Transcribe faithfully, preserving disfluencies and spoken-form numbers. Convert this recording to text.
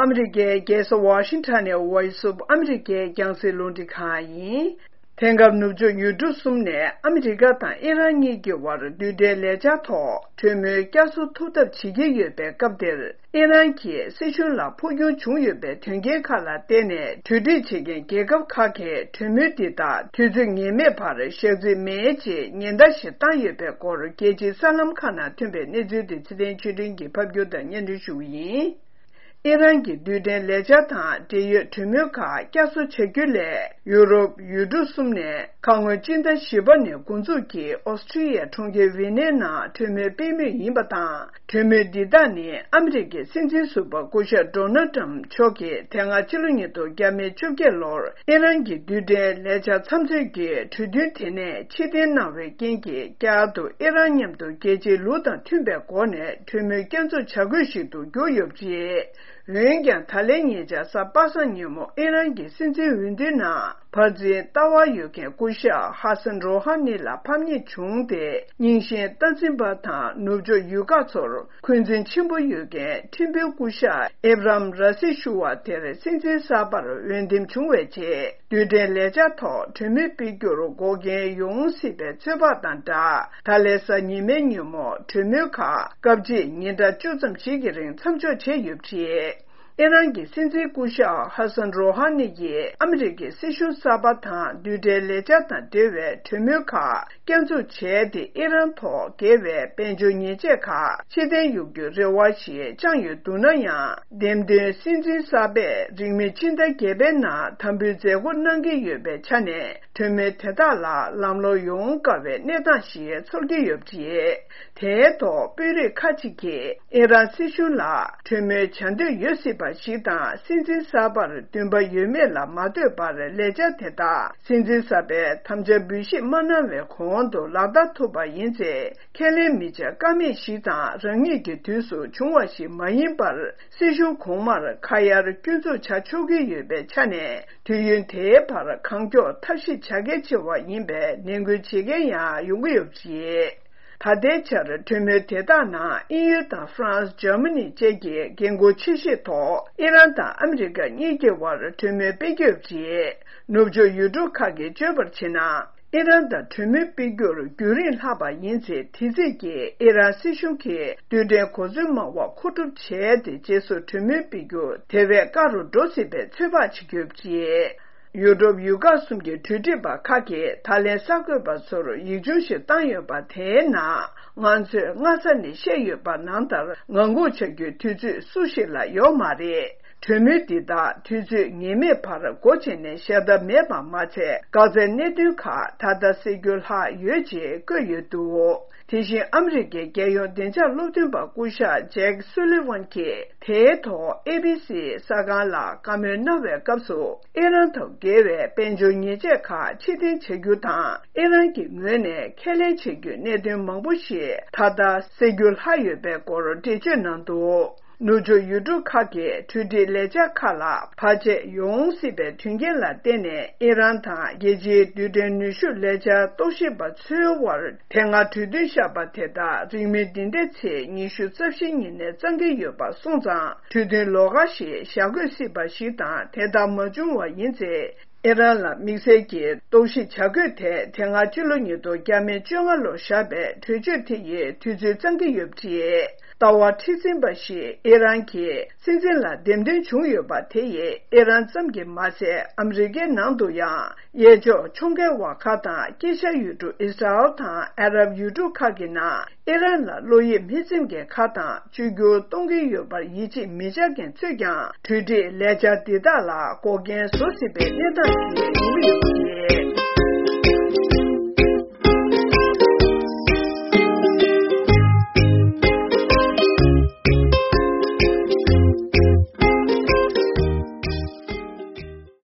ཨ་མི་རི་ཀའི་རྒྱལ་ས་ཝ་ཤིང་ཊོན་ནས་Voice of America རྒྱང་སྲིང་རླུང་འཕྲིན་ཁང་ཡིན། དེང་སྐབས་ནུབ་ཕྱོགས་ཡུལ་གྲུ་གསུམ་ནས་ཨ་མི་རི་ཀ་དང་ཨི་རན་གཉིས་ཀྱི་དབར་རྡུལ་ཕྲན་ལས་འཆར་ཐོག་གྲོས་མོལ་བསྐྱར་གསོ་ཐུབ་ཐབས་བྱེད་ཀྱི་ཡོད་པའི་སྐབས་འདིར། ཨི་རན་གྱི་སྲིད་གཞུང་ལ་འཕོ་འགྱུར་བྱུང་ཡོད་པའི་དོན་རྐྱེན་ཁག་ལ་བརྟེན་ནས། གྲོས་འགྲིག་བྱེད་མཁན་རྒྱལ་ཁབ་ཁག་གིས་གྲོས་མོལ་འདི་དག་དུས་ཚོད་ངེས་མེད་བར་བཞག་རྩིས་མེད་ཅེས་ཉེན་བརྡ་ཞིག་བཏང་ཡོད་པའི་སྐོར། རྒྱལ་སྤྱིའི་གསར་ལམ་ཁག་ནང་ཐོན་པའི་གནས་ཚུལ་དེ་ཚེ་བརྟན་ཆོས་སྒྲོན་གྱིས་ཕབ་སྒྱུར་དང་སྙན་སྒྲོན་ཞུ་གི་ཡིན། ཨི་རན་གྱི་རྡུལ་ཕྲན་ལས་འཆར་དང་འབྲེལ་ཡོད་གྲོས་མོལ་ཁག་བསྐྱར་གསོ་བྱ་རྒྱུ་ལས། ཡུ་རོབ་ཡུལ་གྲུ་གསུམ་ནས་ཁ་སྔོན་སྤྱི་ཟླ་བཞི་པ་ནས་འགོ་འཛུགས་ཀྱིས་ཨོ་སི་ཀྲི་ཡའི་གྲོང་ཁྱེར་ཝི་ནའི་ནང་གྲོས་མོལ་སྤེལ་མུས་ཡིན་པ་དང་། གྲོས་མོལ་འདི་དག་ནི་ཨ་མི་རི་ཀའི་སྲིད་འཛིན་ཟུར་པ་སྐུ་ཞབས་ཌོ་ནལ་ཏྲམ་མཆོག་གིས་དེ་སྔ་ཕྱི་ལོ་ཉིས་སྟོང་བརྒྱ་མེད་བཅོ་བརྒྱད་ལོར་ཨི་རན་གྱི་རྡུལ་ཕྲན་ལས་འཆར་མཚམས་ཚོད་ཀྱི་གྲོས་མཐུན་དེ་ནས་ཕྱིར་འཐེན་གནང་བའི་རྐྱེན་གྱིས། བསྐྱར་དུ་ཨི་རན་མཉམ་དུ་རྒྱལ་སྤྱིའི་ལུགས་དང་མཐུན་པའི་སྒོ་ནས་གྲོས་མོལ་བསྐྱར་འཛུགས་བྱ་དགོས་ཤིག་ཏུ་གྱུར་ཡོད་པ་རེད། འོན་ཀྱང་། ད་ལན་ཉེ་ཆར་གཟའ་པ་སངས་ཉིན་མོ་ཨི་རན་གྱི་སྲིད་འཛིན་འོས་བསྡུའི་ནང་། འབར་འཛིང་ལྟ་བ་ཡོད་མཁན་སྐུ་ཞབས་ཧ་སན་རོ་ཧ་ནི་ལ་ཕམ་ཉེས་བྱུང་སྟེ། རྙིང་ཞེན་སྟངས་འཛིན་པ་དང་ནུབ་ཕྱོགས་ཡུལ་ཁག་ཚོར་འཁོན་འཛིན་ཆེན་པོ་ཡོད་མཁན་ཁྲིམས་དཔོན་སྐུ་ཞབས་ཨེབ་རམ་ར་སི་ཞུ་བ་དེར་སྲིད་འཛིན་གསར་པར་འོས་འདེམས་བྱུང་བའི་རྗེས། རྡུལ་ཕྲན་ལས་འཆར་ཐོག་གྲོས་མོལ་སྤེལ་རྒྱུར་འགོག་རྐྱེན་ཡོང་སྲིད་པའི་ཚོད་དཔག་དང་སྦྲགས། ད་ལན་གཟའ་ཉི་མའི་ཉིན་མོ་གྲོས་མོལ་ཁག་སྐབས་གཅིག་ཉིན་གྲངས་བཅུ་ཙམ་ཞིག་གི་རིང་མཚམས་འཇོག་བྱས་ཡོད་པ་རེད། ཨི་རན་གྱི་སྲིད་འཛིན་སྐུ་ཞབས་ཧ་སན་རོ་ཧ་ནི་ཡིས་ཨ་མི་རི་ཀའི་སྲིད་གཞུང་གསར་པ་དང་རྡུལ་ཕྲན་ལས་འཆར་དང་འབྲེལ་བའི་གྲོས་མོལ་ཁག་བསྐྱར་འཛུགས་བྱས་ཏེ། ཨི་རན་ཐོག་འགེལ་བའི་དཔལ་འབྱོར་ཉེས་ཆད་ཁག་ཕྱིར་འཐེན་ཡོང་རྒྱུའི་རེ་བ་ཞིག་བཅངས་ཡོད་འདུག་ན་ཡང་། འདེམས་ཐོན་སྲིད་འཛིན་གསར་པས་རིང་མིན་ཕྱི་ཟླ་བརྒྱད་པའི་ནང་དམ་འབུལ་མཛད་སྒོ་གནང་གི་ཡོད་པའི་ཆ་ནས། གྲོས་མོལ་དེ་དག་ལ་ལམ་ལྷོང་ཡོང་དཀའ་བའི་གནས་སྟངས་ཤིག་ཚོར་གྱི་ཡོད་པ་རེད། དེའི་ཐོག་དཔོན་རིགས་ཁག་ཅིག་གིས་ཨི་རན་སྲིད་གཞུང་ལ་གྲོས་མོལ་བྱ་འདོད་ཡོད་སྲིད་པ་ཞིག་དང་། སྲིད་འཛིན་གསར་པར་འདུན་པ་ཡོད་མེད་ལ་མ་ལྟོས་པར། ལས་འཆར་དེ་དག་སྲིད་འཛིན་གསར་པས་དམ་བཅའ་འབུལ་བཞེས་མ་གནང་བའི་གོང་དུ་ལག་བསྟར་ཐུབ་པ་ཡིན་ཚེ། ཁས་ལེན་མི་བྱ་ཀ་མེད་ཞིག་དང་། རང་ཉིད་ཀྱི་དུས་སུ་བྱུང་བ་ཞིག་མ་ཡིན་པར། སྲིད་གཞུང་གོང་མར་ཁ་གཡར་སྐྱོན་འཛུགས་བྱ་ཆོག་གི་ཡོད་པའི་ཆ་ནས། དུས་ཡུན་དེའི་བར་གང་མགྱོགས་ཐབས་ཤེས་བྱ་གལ་ཆེ་བ་ཡིན་པའི་ནན་སྐུལ་བྱེད་མཁན་ཡང་ཡོང་གི་ཡོད་པ་རེད། ད་ལྟའི་ཆར་གྲོས་མོལ་དེ་དག་ནང་དབྱིན་ཡུལ་དང་ཧྥ་རན་སི། འཇར་མ་ནི་བཅས་ཀྱི་འགན་འཁུར་ཆེ་ཤོས་ཐོག་ཨི་རན་དང་ཨ་མི་རི་ཀ་གཉིས་ཀྱི་དབར་གྲོས་མོལ་སྤེལ་གྱི་ཡོད་པ་རེད། ནུབ་ཕྱོགས་ཡུལ་གྲུ་ཁག་གིས་བརྗོད་པར་བྱས་ན། ཨི་རན་དང་གྲོས་མོལ་སྤེལ་རྒྱུར་རྒྱུན་རིང་ལྷག་པ་ཡིན་ཚེ། དེ་རྩིས་ཀྱིས་ཨི་རན་སྲིད་གཞུང་གིས་རྡུལ་ཕྲན་གོ་མཚོན་མང་བ་མཁོ་སྒྲུབ་བྱས་ཏེ། རྗེས་སུ་གྲོས་མོལ་སྤེལ་རྒྱུ་དེ་བས་དཀའ་རུ་འགྲོ་སྲིད་པའི་ཚོད་དཔག་བྱེད་ཀྱི་ཡོད་པ་རེད། ཡུ་རོབ་ཡུལ་ཁག་གསུམ་གྱི་གྲོས་སྒྲིག་པ་ཁག་གིས་ད་ལན་གསར་འགོད་པ་ཚོར་ཡིག་ཆུང་ཞིག་བཏང་ཡོད་པ། དེའི་ནང་ང་ཚོས་སྔ་ས་ནས་བཤད་ཡོད་པ་ནང་ལྟར། ངང་སྒུག་བྱ་རྒྱུའི་དུས་ཚོད་སུ་ཞིག་ལ་ཡོད་མ་རེད། གྲོས་མོལ་འདི་དག་དུས་ཚོད་ངེས་མེད་བར་སྒོ་ཕྱེ་ནས་བཞག་ཐབས་མེད་པ་མ་ཚད། འགག་རྩའི་གནད་དོན་ཁག་ད་ལྟ་སེལ་རྒྱུ་ལྷག་ཡོད་ཅེས་བཀོད་ཡོད་འདུག་དེ་བཞིན་ཨ་མི་རི་ཀའི་རྒྱལ་ཡོངས་བདེ་འཇགས་སློབ་སྟོན་པ་སྐུ་ཞབས་ཇེག་སུ་ལི་ཝན་གྱིས་དེའི་ཐོག་ཨེ་བི་སི་གསར་ཁང་ལ་བཀའ་མོལ་གནང་བའི་སྐབས་སུ། ཨི་རན་དང་འགལ་བའི་དཔལ་འབྱོར་ཉེས་ཆད་ཁག་ཕྱིར་འཐེན་བྱ་རྒྱུ་དང་། ཨི་རན་གྱི་ངོས་ནས་ཁས་ལེན་བྱེད་རྒྱུའི་གནད་དོན་མང་པོ་ཞིག་ད་ལྟ་སེལ་རྒྱུ་ལྷག་ཡོད་པའི་སྐོར་འགྲེལ་བརྗོད་གནང་འདུག་ནུབ་ཕྱོགས་ཡུལ་གྲུ་ཁག་གིས་གྲོས་འགྲིག་ལས་འཆར་ཁག་ལ་བར་ཆད་ཡོང་སྲིད་པའི་དོན་རྐྱེན་ལ་བརྟེན་ནས། ཨི་རན་དང་རྒྱལ་སྤྱིའི་རྡུལ་ཕྲན་ནུས་ཤུགས་ལས་འཆར་རྟོག་ཞིབ་པ་ཚོའི་དབར་དེ་སྔ་གྲོས་མཐུན་བཞག་པ་དེ་དག་རིང་མིན་འདི་ཟླའི་ཚེས་ཉི་ཤུ་རྩ་བཞི་ཉིན་ནས་གཙང་གི་ཡོད་པ་སོང་ཙང་། གྲོས་མཐུན་ལོགས་ཀ་ཞིག་བཞག་དགོས་སྲིད་པ་ཞིག་དང་། དེ་ལྟར་མ་བྱུང་བ་ཡིན་ཚེ། ཨི་རན་ལ་དམིགས་བསལ་གྱི་རྟོག་ཞིབ་བྱ་དགོས་ཐད། དེ་སྔ་ཕྱི་ལོ་ཉིས་སྟོང་བརྒྱ་མེད་བཅོ་ལྔ་ལོར་བཞག་པའི་གྲོས་ཆོད་དེ་ཡི་དུས་ཚོད་གཙང་གི་ཡོད་པ་རེད། ལྟ་བ་མཁྲེགས་འཛིན་པ་ཞིག་ཨི་རན་གྱི་སྲིད་འཛིན་ལ་འདེམས་ཐོན་བྱུང་ཡོད་པ་དེ་ཡིས་ཨི་རན་ཙམ་གྱིས་མ་ཟད། ཨ་མི་རི་ཀའི་ནང་དུ་ཡང་གཡས་ཕྱོགས་ཕྱོགས་འགལ་བ་ཁག་དང་། དཀྱིལ་ཤར་ཡུལ་གྲུ་ཨི་སི་ར་ཨེལ་དང་ཨ་རབ་ཡུལ་གྲུ་ཁག་གི་ནང་ཨི་རན་ལ་བློ་ཡིད་མི་ཚིམ་མཁན་ཁག་དང་། བཅོས་བསྒྱུར་གཏོང་གི་ཡོད་པར་ཡིད་ཆེས་མི་བྱ་མཁན་ཚོས་ཀྱང་། གྲོས་འགྲིག་ལས་འཆར་འདི་དག་ལ་འགོག་རྐྱེན་བཟོ་སྲིད་པའི་གནས་སྟངས་ཤིག་ཡོང་གི་ཡོད་པ་རེད།